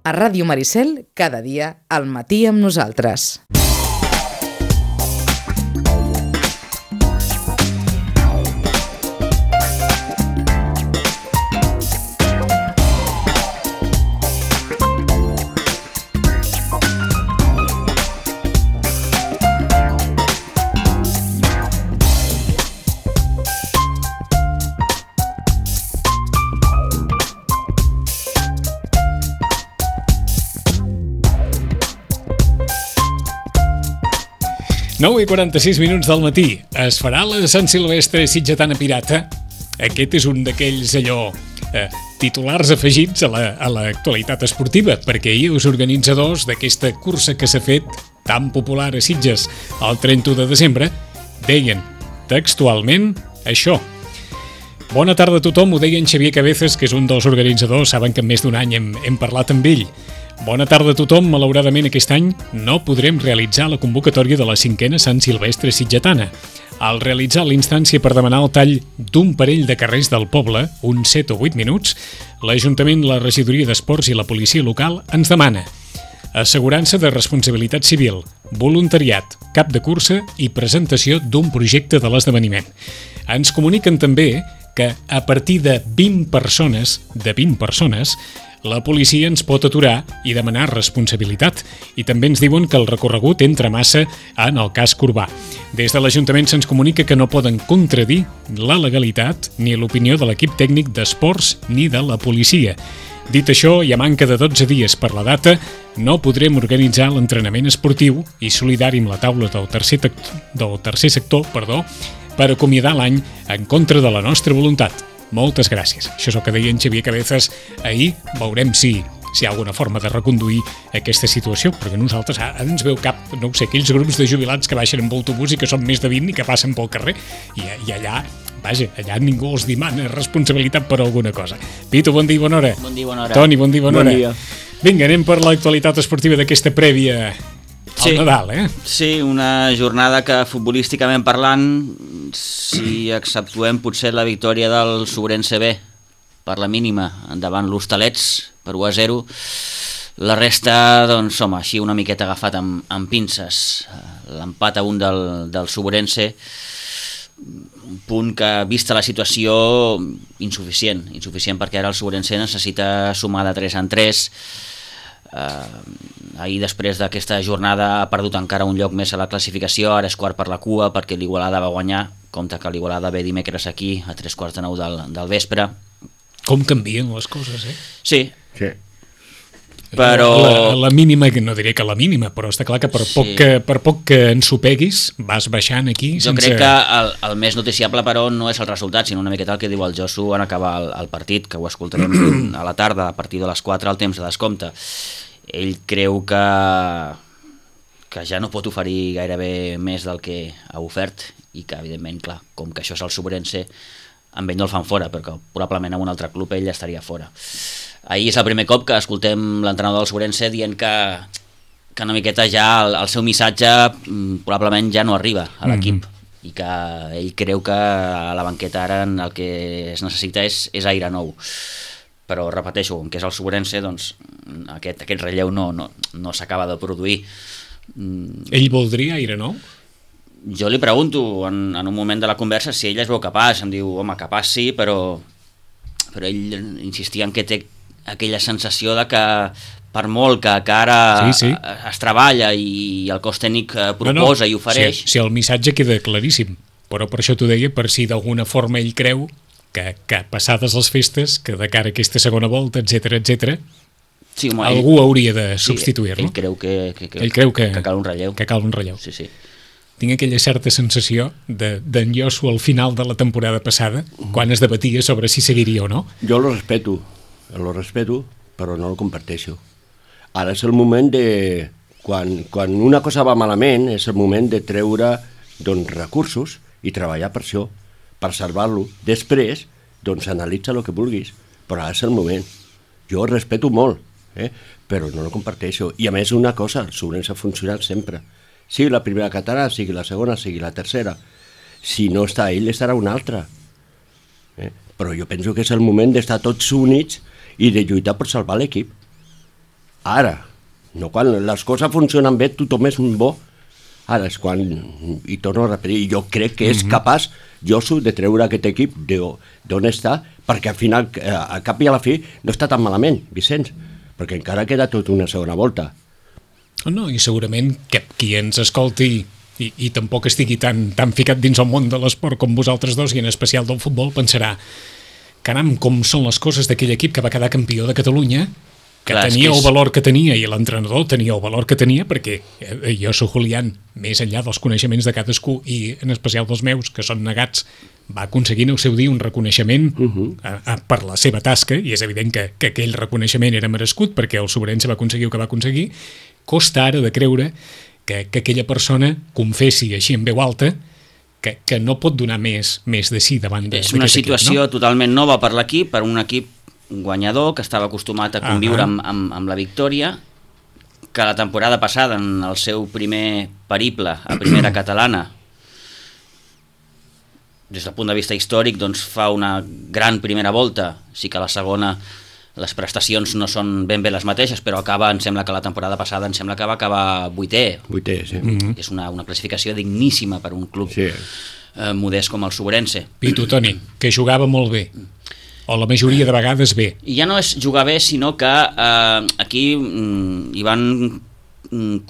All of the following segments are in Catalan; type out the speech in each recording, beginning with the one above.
A Ràdio Maricel, cada dia al matí amb nosaltres. Nou i 46 minuts del matí. Es farà la Sant Silvestre Sitgetana Pirata? Aquest és un d'aquells titulars afegits a l'actualitat esportiva, perquè ahir els organitzadors d'aquesta cursa que s'ha fet tan popular a Sitges el 31 de desembre deien textualment això. Bona tarda a tothom, ho deia en Xavier Cabezas, que és un dels organitzadors, saben que en més d'un any hem parlat amb ell. Bona tarda a tothom, malauradament aquest any no podrem realitzar la convocatòria de la 5a Sant Silvestre Sitgetana. Al realitzar l'instància per demanar el tall d'un parell de carrers del poble, uns 7 o 8 minuts, l'Ajuntament, la Regidoria d'Esports i la policia local ens demana assegurança de responsabilitat civil, voluntariat, cap de cursa i presentació d'un projecte de l'esdeveniment. Ens comuniquen també que a partir de 20 persones, la policia ens pot aturar i demanar responsabilitat, i també ens diuen que el recorregut entra massa en el casc urbà. Des de l'Ajuntament se'ns comunica que no poden contradir la legalitat ni l'opinió de l'equip tècnic d'esports ni de la policia. Dit això, i a manca de 12 dies per la data, no podrem organitzar l'entrenament esportiu i solidari amb la taula del tercer sector per acomiadar l'any en contra de la nostra voluntat. Moltes gràcies. Això és el que deia en Xavier Cabezas ahir. Veurem si hi ha alguna forma de reconduir aquesta situació, perquè nosaltres ara ens veu cap, no ho sé, aquells grups de jubilats que baixen amb autobús i que són més de 20 i que passen pel carrer, i allà, allà ningú els demana responsabilitat per alguna cosa. Pitu, bon dia i bona hora. Bon dia i bona hora. Toni, bon dia i bona hora. Bon dia. Vinga, anem per l'actualitat esportiva d'aquesta prèvia al Nadal, Sí, una jornada que futbolísticament parlant, si exceptuem potser la victòria del Sobrense B per la mínima endavant l'Hostalets per 1-0, la resta, doncs, home, així una miqueta agafat amb pinces. L'empat a 1 del Sobrense, un punt que, vista la situació, insuficient perquè ara el Sobrense necessita sumar de 3 en 3. Ahir, després d'aquesta jornada, ha perdut encara un lloc més a la classificació, ara és quart per la cua perquè l'Igualada va guanyar, compte que l'Igualada ve dimecres aquí a 8:45 del vespre. Com canvien les coses, Sí. Però la mínima, no diré que la mínima, però està clar que per poc que ensopeguis vas baixant aquí Jo crec que el més noticiable, però, no és el resultat, sinó una miqueta el que diu el Josu en acabar el partit, que ho escoltarem a la tarda, a partir de les 4, al temps de descompte. Ell creu que ja no pot oferir gairebé més del que ha ofert i que, evidentment, clar, com que això és el Sobrense, amb ell no el fan fora, perquè probablement en un altre club ell estaria fora. Ahir és el primer cop que escoltem l'entrenador del Sobrense dient que una miqueta ja el seu missatge probablement ja no arriba a l'equip i que ell creu que a la banqueta ara el que es necessita és aire nou. Però, repeteixo, com que és el Sobrense, doncs aquest relleu no s'acaba de produir. Ell voldria aire nou? Jo li pregunto en un moment de la conversa si ell es veu capaç. Em diu, home, capaç sí, però ell insistia en que té aquella sensació de que per molt que ara es treballa i el cos tècnic proposa i ofereix... Sí, el missatge queda claríssim, però per això t'ho deia, per si d'alguna forma ell creu que passades les festes, que de cara a aquesta segona volta, etc, algú hauria de substituir-lo. Ell creu que cal un relleu. Que cal un relleu. Sí. Tinc aquella certa sensació d'en Josu al final de la temporada passada, quan es debatia sobre si seguiria o no. Jo lo respeto, però no lo comparteixo. Ara és el moment de... Quan una cosa va malament, és el moment de treure recursos i treballar per això, per salvar-lo. Després, analitza el que vulguis, però ara és el moment. Jo ho respeto molt, però no lo comparteixo. I a més, una cosa, el Sobrense ha funcionat sempre. Sigui la primera catalana, sigui la segona, sigui la tercera. Si no està ell, estarà una altra. Però jo penso que és el moment d'estar tots units i de lluitar per salvar l'equip. Ara, no quan les coses funcionen bé, tothom és bo. Ara és quan, i torno a repetir, jo crec que és capaç Josu de treure aquest equip d'on està, perquè al final, a cap i a la fi, no està tan malament, Vicenç, perquè encara queda tot una segona volta. No, i segurament que qui ens escolti i tampoc estigui tan ficat dins el món de l'esport com vosaltres dos, i en especial del futbol, pensarà, caram, com són les coses d'aquell equip que va quedar campió de Catalunya, que tenia el valor que tenia i l'entrenador tenia el valor que tenia, perquè jo soc Julián, més enllà dels coneixements de cadascú i en especial dels meus, que són negats, va aconseguir en el seu dia un reconeixement per la seva tasca, i és evident que aquell reconeixement era merescut perquè el Sobrense va aconseguir el que va aconseguir. Costa ara de creure que aquella persona confessi així en veu alta que no pot donar més de si davant d'aquest equip. És una situació totalment nova per l'equip, per un equip guanyador que estava acostumat a conviure amb la victòria, que la temporada passada, en el seu primer periple a primera catalana, des del punt de vista històric, doncs fa una gran primera volta. Sí que la segona les prestacions no són ben bé les mateixes, però acaba, em sembla que la temporada passada va acabar vuitè. Sí. És una classificació digníssima per un club modest com el Sobrense. I tu, Toni, que jugava molt bé, o la majoria de vegades bé. I ja no és jugar bé, sinó que aquí hi van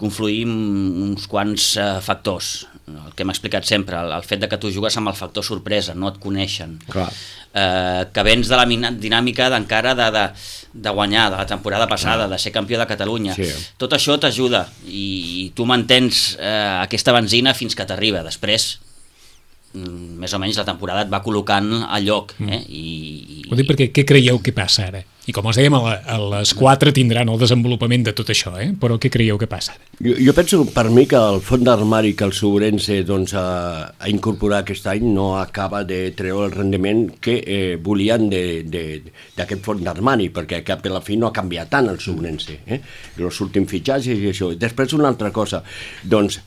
confluir uns quants factors. El que hem explicat sempre, el fet de que tu jugues amb el factor sorpresa, no et coneixen. Clar. Que vens de la dinàmica d'encara de guanyar, de la temporada passada, de ser campió de Catalunya. Sí. Tot això t'ajuda i tu mantens aquesta benzina fins que t'arriba. Després, més o menys la temporada et va col·locant al lloc. Ho dic perquè què creieu que passa ara? I com els dèiem, a les 4 tindran el desenvolupament de tot això, però què creieu que passa ara? Jo penso, per mi, que el fons d'armari que el Sobrense ha incorporat aquest any no acaba de treure el rendiment que volien d'aquest fons d'armari, perquè cap de la fi no ha canviat tant el Sobrense. Els últims fitxatges i això. Després una altra cosa, doncs,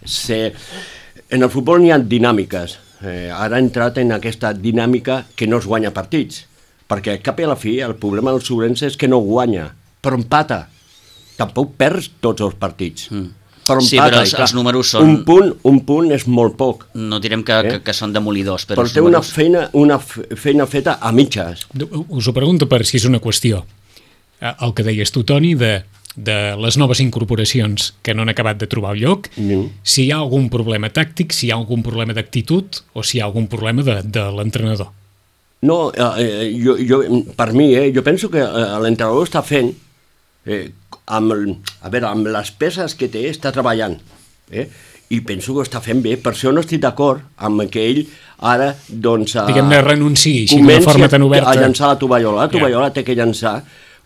en el futbol n'hi ha dinàmiques. Ara ha entrat en aquesta dinàmica que no es guanya partits, perquè cap i a la fi el problema del Sobrense és que no guanya, però empata. Tampoc perds tots els partits. Però empata, sí, però els números són... Un punt és molt poc. No direm que són demolidors, però té una feina feta a mitges. Us ho pregunto per si és una qüestió. El que deies tu, Toni, de les noves incorporacions que no han acabat de trobar el lloc, si hi ha algun problema tàctic, si hi ha algun problema d'actitud o si hi ha algun problema de l'entrenador. No, per mi, jo penso que l'entrenador està fent, amb les peces que té, està treballant, i penso que ho està fent bé. Per això no estic d'acord amb que ell ara, doncs... Diguem-ne, renunciï així d'una forma tan oberta. A llançar la tovallola. La tovallola té que llançar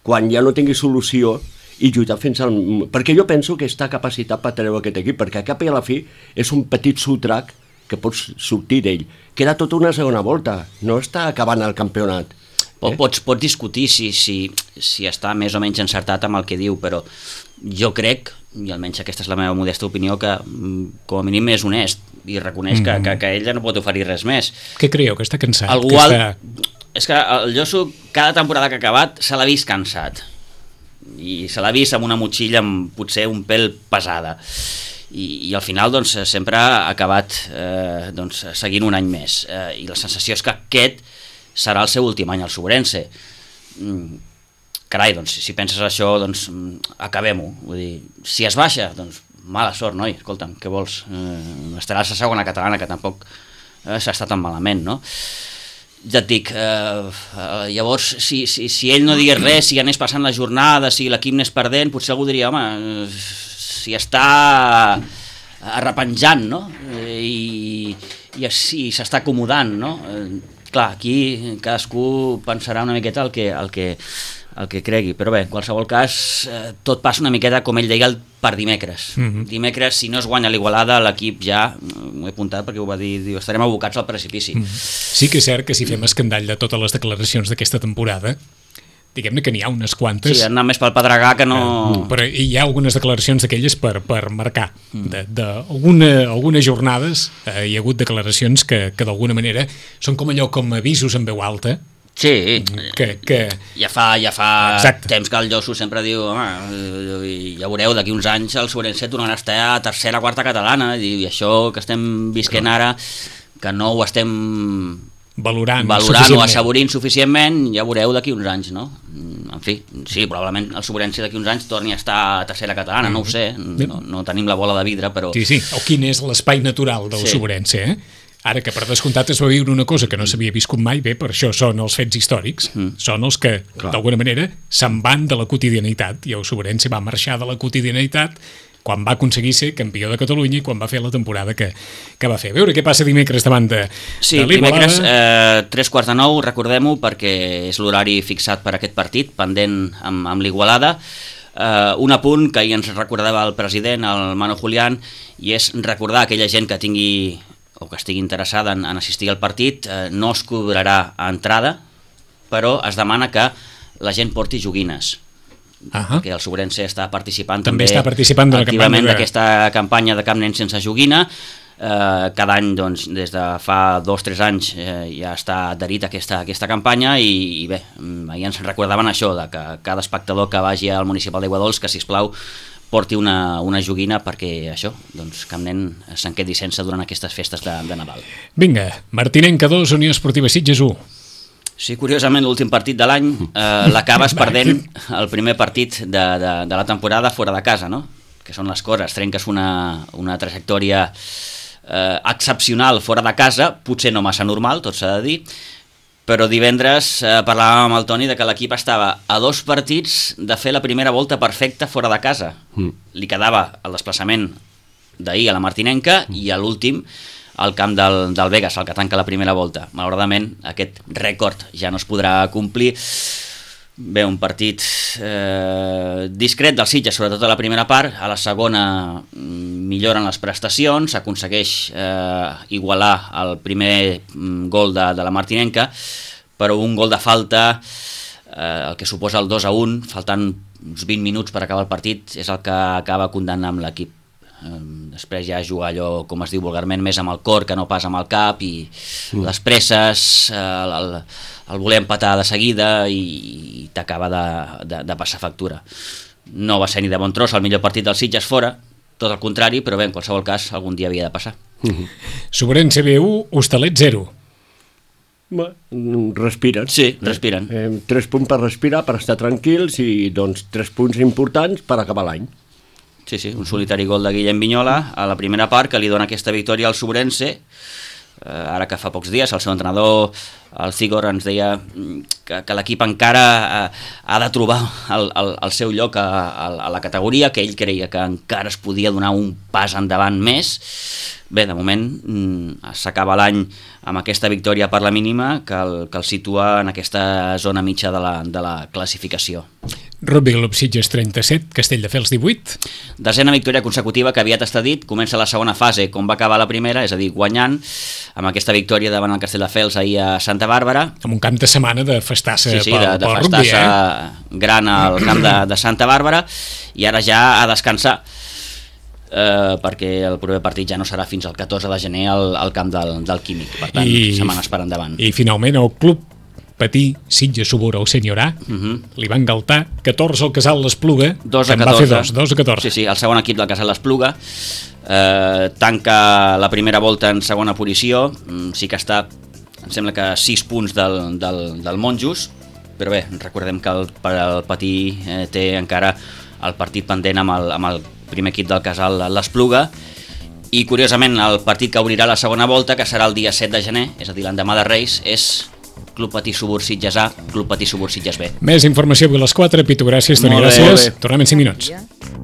quan ja no tingui solució i lluitar fins al... Perquè jo penso que està capacitat per treure aquest equip, perquè a cap i a la fi és un petit sotrac que pots sortir d'ell. Queda tota una segona volta, no està acabant el campionat. Pots discutir si està més o menys encertat amb el que diu, però jo crec, i almenys aquesta és la meva modesta opinió, que com a mínim és honest i reconeix que ell ja no pot oferir res més. Què creieu, que està cansat? És que el Josu, cada temporada que ha acabat, se l'ha vist cansat. I se l'ha vist amb una motxilla potser un pèl pesada. I al final doncs, sempre ha acabat seguint un any més. I la sensació és que aquest serà el seu últim any al Sobrense. Carai, doncs, si penses això, doncs acabem-ho. Vull dir, si es baixa, doncs mala sort, noi, escolta'm, què vols? Estaràs a segona catalana, que tampoc s'està tan malament, no? Ja et dic, llavors, si ell no digués res, si anés passant la jornada, si l'equip anés perdent, potser algú diria, home, si està arrepenjant, no? I s'està acomodant, no? Clar, aquí cadascú pensarà una miqueta el que cregui, però bé, en qualsevol cas, tot passa una miqueta, com ell deia, per dimecres. Dimecres, si no es guanya l'Igualada, l'equip ja, m'ho he apuntat perquè ho va dir, estarem abocats al precipici. Sí que és cert que si fem escandall de totes les declaracions d'aquesta temporada, diguem-ne que n'hi ha unes quantes... Sí, anar més pel pedregar que no... Però hi ha algunes declaracions d'aquelles per marcar. Algunes jornades hi ha hagut declaracions que d'alguna manera són com allò com avisos en veu alta, Sí, que... ja fa Exacte. temps que el Josu sempre diu, home, ja veureu, d'aquí uns anys el Sobrense tornarà a estar a tercera, quarta catalana, i això que estem visquent ara, que no ho estem valorant o assaborint suficientment, ja veureu d'aquí uns anys, no? En fi, sí, probablement el Sobrense d'aquí uns anys torni a estar a tercera catalana, no ho sé, no tenim la bola de vidre, però... Sí, o quin és l'espai natural del Sobrense, Ara que per descomptat es va viure una cosa que no s'havia viscut mai, bé, per això són els fets històrics, són els que, d'alguna manera, se'n van de la quotidianitat, i el Sobrense va marxar de la quotidianitat quan va aconseguir ser campió de Catalunya i quan va fer la temporada que va fer. A veure què passa dimecres davant de l'Igualada. Sí, dimecres, 3:45, recordem-ho, perquè és l'horari fixat per aquest partit, pendent amb l'Igualada. Un apunt que ahir ens recordava el president, el Mano Julián, i és recordar a aquella gent que tingui o que estigui interessada en assistir al partit, no es cobrarà a entrada, però es demana que la gent porti joguines, perquè el Sobrense està participant també activament d'aquesta campanya de Cap Nen Sense Joguina. Cada any, doncs, des de fa 2 o 3 anys ja està adherit a aquesta campanya i bé, ahir ens recordaven això, de que cada espectador que vagi al municipal d'Aiguadols, que sisplau porti una joguina perquè això, doncs Cap Nen se'n quedi sense durant aquestes festes de Nadal. Vinga, Martinenca 2, Unió Esportiva Sitges 1. Sí, curiosament, l'últim partit de l'any l'acabes perdent el primer partit de la temporada fora de casa, no? Que són les coses, trenques una trajectòria excepcional fora de casa, potser no massa normal, tot s'ha de dir, però divendres parlàvem amb el Toni de que l'equip estava a 2 partits de fer la primera volta perfecta fora de casa. Li quedava el desplaçament d'ahir a la Martinenca i a l'últim al camp del Vegas, el que tanca la primera volta. Malauradament aquest rècord ja no es podrà complir. Bé, un partit discret del Sitges, sobretot a la primera part. A la segona milloren les prestacions, s'aconsegueix igualar el primer gol de la Martinenca, però un gol de falta, el que suposa el 2-1, faltant uns 20 minuts per acabar el partit, és el que acaba condemnant l'equip. Després ja jugar allò, com es diu vulgarment, més amb el cor que no pas amb el cap, i les presses, el voler empatar de seguida, i t'acaba de passar factura. No va ser ni de bon tros el millor partit del Sitges fora, tot el contrari, però bé, en qualsevol cas algun dia havia de passar. Sobrense B1, Hostalet 0. Respiren. Sí, respiren. 3 punts per respirar, per estar tranquils, i doncs 3 punts importants per acabar l'any. Sí, un solitari gol de Guillem Vignola a la primera part que li dona aquesta victòria al Sobrense. Ara que fa pocs dies el seu entrenador, el Cigor, ens deia que l'equip encara ha de trobar el seu lloc a la categoria, que ell creia que encara es podia donar un pas endavant més. Bé, de moment s'acaba l'any amb aquesta victòria per la mínima que el situa en aquesta zona mitja de la classificació. Rugby Club Sitges 37, Castelldefels 18. Desena victòria consecutiva que aviat està dit, comença la segona fase com va acabar la primera, és a dir, guanyant, amb aquesta victòria davant el Castelldefels ahir a Santa Bàrbara. Amb un camp de setmana de festassa de festassa gran al camp de Santa Bàrbara, i ara ja a descansar, perquè el proper partit ja no serà fins al 14 de gener al camp del Químic, per tant, setmanes per endavant. I finalment el club Patí, Sitges Subur, el Sènior A, li van galtar 14 al Casal l'Espluga, que en va fer 2 a 14. Sí, el segon equip del Casal l'Espluga tanca la primera volta en segona posició, sí que està, em sembla que 6 punts del Monjos, però bé, recordem que el Patí té encara el partit pendent amb el primer equip del Casal l'Espluga, i curiosament el partit que obrirà la segona volta, que serà el dia 7 de gener, és a dir, l'endemà de Reis, és Club Patí Subur Sitges A, Club Patí Subur Sitges B. Més informació avui a les 4. Pitu, gràcies, Toni, gràcies. Tornem en 5 minuts.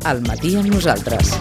Al matí amb nosaltres.